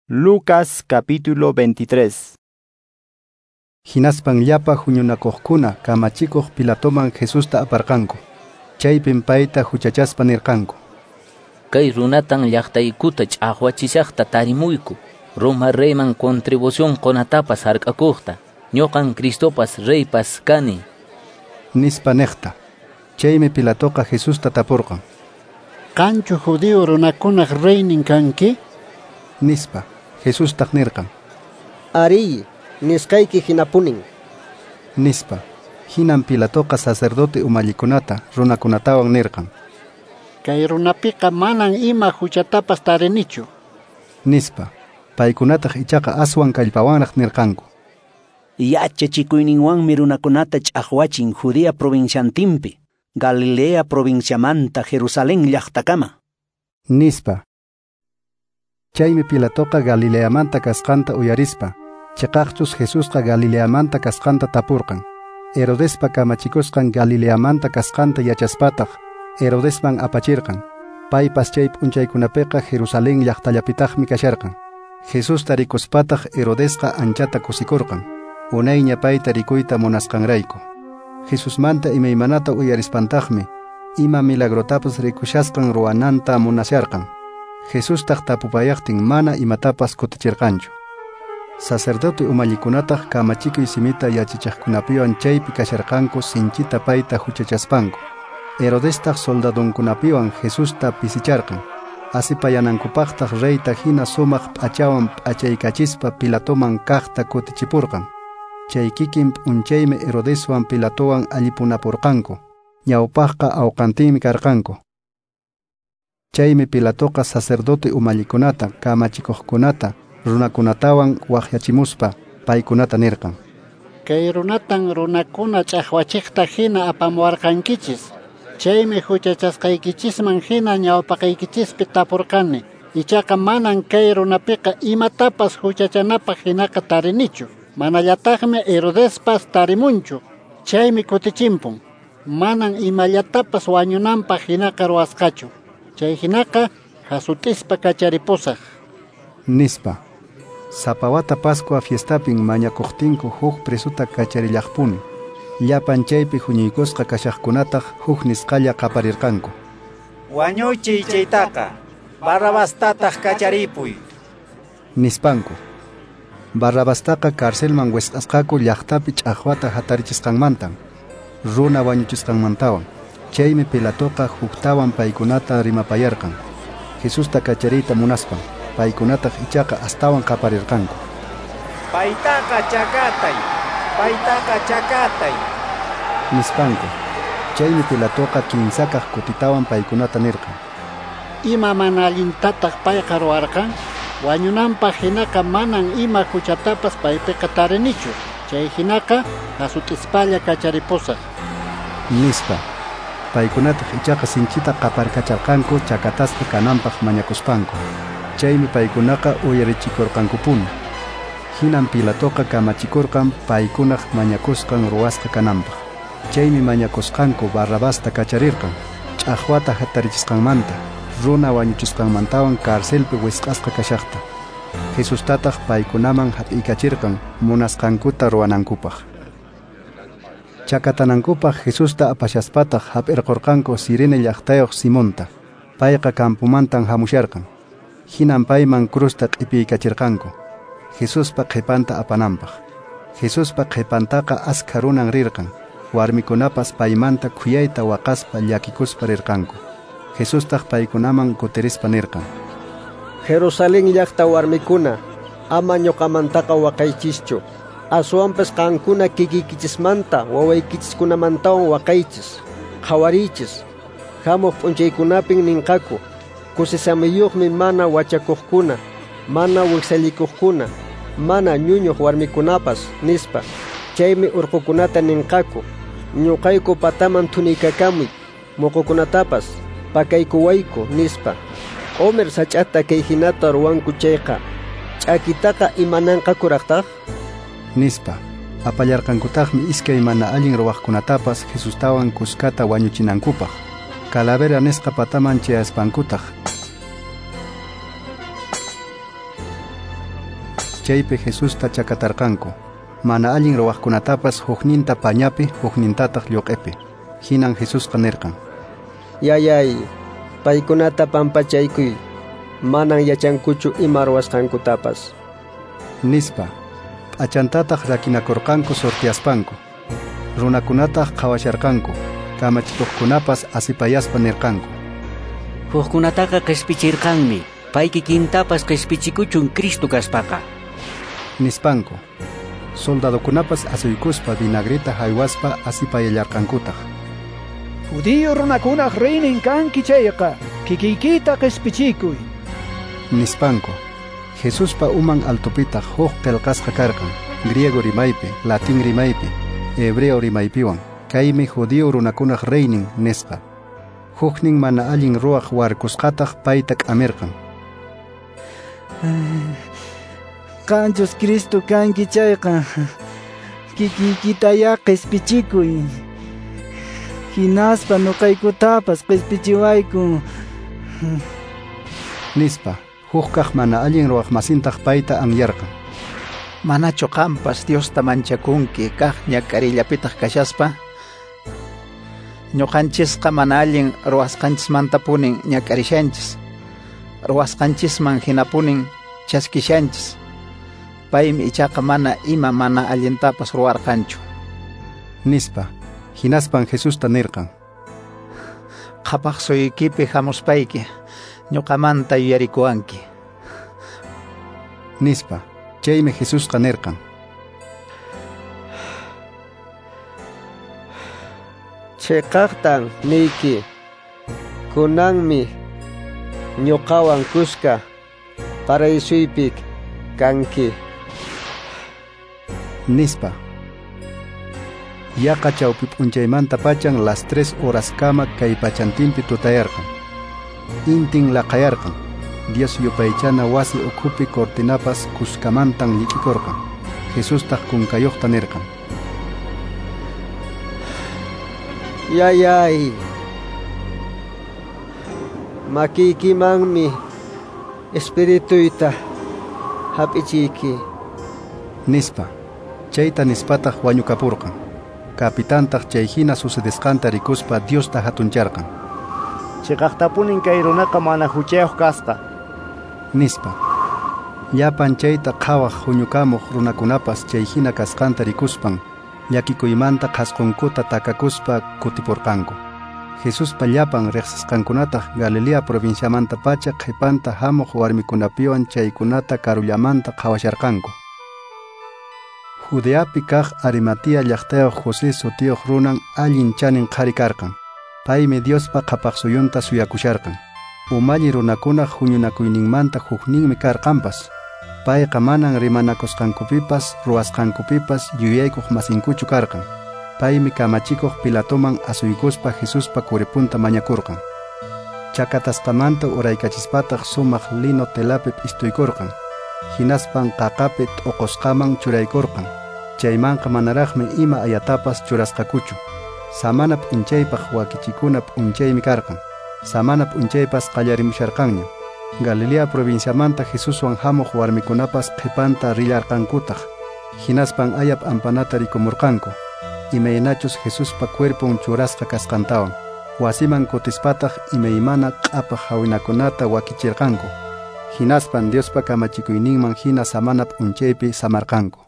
Lucas capítulo 23. Hinaspan llapa huñunakuqkuna kamachikuq Pilatoman Jesusta aparqanku. Chaypin payta huchachaspa nirqanku: Kay runatan llaqtaykuta ch'aqwachishaqta tarimuyku, Roma reyman contribución qunatapas hark'akuqta. Ñuqan Cristopas reypas kani, nispa niqta. Chaymi Pilatoqa Jesusta tapurqan: Qanchu judío runakunaq reynin kanki? Nispa. Jesustaq nirqan: Arí, nisqayki hinapunin, nispa. Hinan Pilatoqa sacerdote umallikunata runakunatawan nirqan: Kay runapiqa manan ima huchatapas tarinichu, nispa. Paykunataq ichaqa aswan kallpawanraq nirqanku: Yachachikuyninwanmi runakunata ch'aqwachin Judea provinciantinpi, Galilea provinciamanta Jerusalén llaqtakama, nispa. Chaymi Pilatoqa Galileamanta kasqanta uyarispa, chiqaqchus Jesusqa Galileamanta kasqanta tapurqan. Herodespa kamachikusqan Galileamanta kasqanta yachaspataq, Herodesman apachirqan. Paypas chay p'unchaykunapiqa Jerusalén llaqtallapitaqmi kasharqan. Jesusta rikuspataq Herodesqa anchata kusikurqan, unayña payta rikuyta munasqanrayku. Jesusmanta imaymanata uyarispantaqmi, ima milagrotapas rikushasqan ruwananta munasharqan. Jesustaq tapupayaqtin mana imatapas kutichirqanchu. Sacerdote umallikunataq kamachikuy simita yachachiqkunapiwan chaypi kasharqanku sinchita payta huchachaspanku. Herodestaq soldadunkunapiwan Jesusta pisicharqan. Asipayanankupaqtaq reyta hina sumaq p'achawan p'achaykachispa Pilatoman kaqta kutichipurqan. Chay kikin p'unchaymi Herodeswan Pilatowan allipunapurqanku. Ñawpaqqa awqantinmi karqanku. Chaymi Pilatoqa sacerdote umallikunata, kamachikuqkunata, runakunatawan waqyachimuspa paykunata nirqan: Kay runatan runakuna ch'aqwachiqta hina apamuwarqankichis. Chaymi huchachasqaykichisman hina ñawpaqaykichispi tapurqani. Ichaqa manan kay runapiqa imatapas huchachanapaq hinaqa tarinichu. Manallataqmi Herodespas tarimunchu. Chaymi kutichimpun. Manan imallatapas wañunanpaq hinaqa ruwasqachu. Chay hinaqa hasut'ispa kacharipusaq, nispa. Sapa wata Pascua fiestapin mañakuqtinku huk presuta kacharillaqpuni. Llapan chaypi huñuykusqa kashaqkunataq huk nisqalla qaparirqanku: Wañuchiy chaytaqa, Barrabastataq kacharipuy, nispanku. Barrabastaqa carcelman wisq'asqaku llaqtapi ch'aqwata hatarichisqanmantan, runa wañuchisqanmantawan. Chaymi Pilatoqa huktawan paykunata rimapayarqan. Jesusta kachariyta munaspan, paykunataq ichaqa astawan qaparirqanku: Paytaqa chakatay, paytaqa chakatay, nispanku. Chaymi Pilatoqa kinsakaq kutitawan paykunata nirqan: Ima mana allintataq payqa ruwarqan? Wañunanpaq hinaqa manan ima huchatapas paypiqa tarinichu. Chay hinaqa hasut'ispalla kacharipusaq, nispa. Paykunataq ichaqa sinchita qaparkacharqanku chakatasqa kananpaq mañakuspanku. Chaymi paykunaqa uyarichikurqankupuni. Hinan Pilatoqa kamachikurqan paykunaq mañakusqan ruwasqa kananpaq. Chaymi mañakusqanku Barrabasta kacharirqan, ch'aqwata hatarichisqanmanta, runa wañuchisqanmantawan carcelpi wisq'asqa kashaqta. Jesustataq paykunaman hap'iykachirqan munasqankuta ruwanankupaq. Chakatanankupaq Jesusta apashaspataq hap'irqurqanku Cirene llaqtayuq Simonta. Payqa campomantan hamusharqan. Hinan payman crusta q'ipiykachirqanku, Jesuspa qhipanta apananpaq. Jesuspa qhipantaqa askha runan rirqan. Warmikunapas paymanta khuyayta waqaspa llakikuspa rirqanku. Jesustaq paykunaman kutirispa nirqan: Jerusalén llaqta warmikuna, ama ñuqamantaqa waqaychischu. Aswanpas qankuna kikiykichismanta wawaykichiskunamantawan waqaychis. Qhawariychis. Hamuq p'unchaykunapin ninqaku: Kusisamiyuqmi mana wachakuqkuna, mana wiksallikuqkuna, mana ñuñuq warmikunapas, nispa. Chaymi urqukunata ninqaku: Ñuqayku pataman thuniykakamuy, muqukunatapas pakaykuwayku, nispa. Q'umir sach'ata kay hinata ruwanku chayqa, ch'akitaqa imananqakuraqtaq, nispa. Apallarqankutaqmi iskay mana allin ruwaqkunatapas Jesustawan kuskata wañuchinankupaq. Calavera nisqa pataman chayaspankutaq Chaypi Jesusta chakatarqanku. Mana allin ruwaqkunatapas hukninta pañapi, huknintataq lluq'ipi. Hinan Jesusqa nirqan: Yayay, paykunata pampachaykuy, manan yachankuchu ima ruwasqankutapas. Nispa. P'achantataq rakinakurqanku sorteaspanku. Runakunataq qhawasharqanku, kamachikuqkunapas asipayaspa nirqanku: Hukkunataqa qispichirqanmi, pay kikintapas qispichikuchun Cristo kaspaqa. Nispanku. Soldadokunapas asuykuspa vinagreta haywaspa asipayallarqankutaq. Judío runakunaq reynin kanki chayqa, kikiykita qispichikuy. Nispanku. Jesuspa uman altopitaq huk qillqasqa karqan, griego rimaypi, latín rimaypi, hebreo rimaypiwan. Kaymi judío runakunaq reynin nisqa. Huknin mana allin ruwaq warkusqataq payta k'amirqan. Qanchus Cristo kanki chayqa, kikiykitayá qispichikuy. Hinaspa nuqaykutapas qispichiwayku. Nispa. Hukkaq mana allin ruwaqmasintaq payta anyarqan. Manachu qampas Diosta manchakunki kaq ñak'arillapitaq kashaspa? Ñuqanchisqa mana allin ruwasqanchismantapunin ñak'arishanchis. Ruwasqanchisman hinapunin chaskishanchis. Paymi ichaqa mana ima mana allintapas ruwarqanchu. Nispa. Hinaspan Jesusta nirqan: Qhapaq suyuykipi hamuspayki ñuqamanta yuyarikuwanki. Nispa. Chaymi Jesusqa nirqan: Chiqaqtan niyki, kunanmi ñuqawan kuska paraisuypi kanki. Nispa. Yaqa chawpi p'unchaymanta pachan las 3 horaskama kay pachantinpi tutayarqan. Intin laqayarqan. Dios yupaychana wasi ukhupi cortinapas kuskamantan llik'ikurqan. Jesustaq kunkayuqta nirqan: Yayay, makiykimanmi espirituyta hap'ichiyki. Nispa. Chayta nispataq wañukapurqan. Capitantaq chay hina sucedesqanta rikuspa Diosta hatuncharqan. Chiqaqtapunin kay runaqa mana huchayuq kasqa. Nispa. Llapan chayta qhawaq huñukamuq runakunapas chay hina kasqanta rikuspan llakikuymanta qhasqunkuta takakuspa kutipurqanku. Jesuspa llapan riqsisqankunataq Galilea provinciamanta pacha qhipanta hamuq warmikunapiwan chaykunata karullamanta qhawasharqanku. Judeapi kaq Arimatea llaqtayuq José sutiyuq runan allin chanin qhari karqan. Paymi Diospa qhapaqsuyunta suyakusharqan. Umalli runakunaq huñunakuyninmanta hukninmi karqanpas. Payqa manan rimanakusqankupipas ruwasqankupipas yuyaykuq masinkuchu karqan. Paymi kamachikuq Pilatoman asuykuspa Jesuspa kuripunta mañakurqan. Chakatasqamanta uraykachispataq sumaq lino telapi p'istuykurqan. Hinaspan qaqapi t'uqusqaman churaykurqan. Chaymanqa manaraqmi ima ayatapas churasqakuchu. Samana p'unchaypaq wakichikuna p'unchaymi karqan. Samana p'unchaypas qallarimusharqanña. Galilea provinciamanta Jesuswan hamuq warmikunapas qhipanta rillarqankutaq. Hinaspan aya p'ampanata rikumurqanku. Imaynachus Jesuspa cuerpon churasqa kasqantawan. Wasiman kutispataq imaymana q'apaq hawinakunata wakichirqanku. Hinaspan Diospa kamachikuyninman hina samana p'unchaypi samarqanku.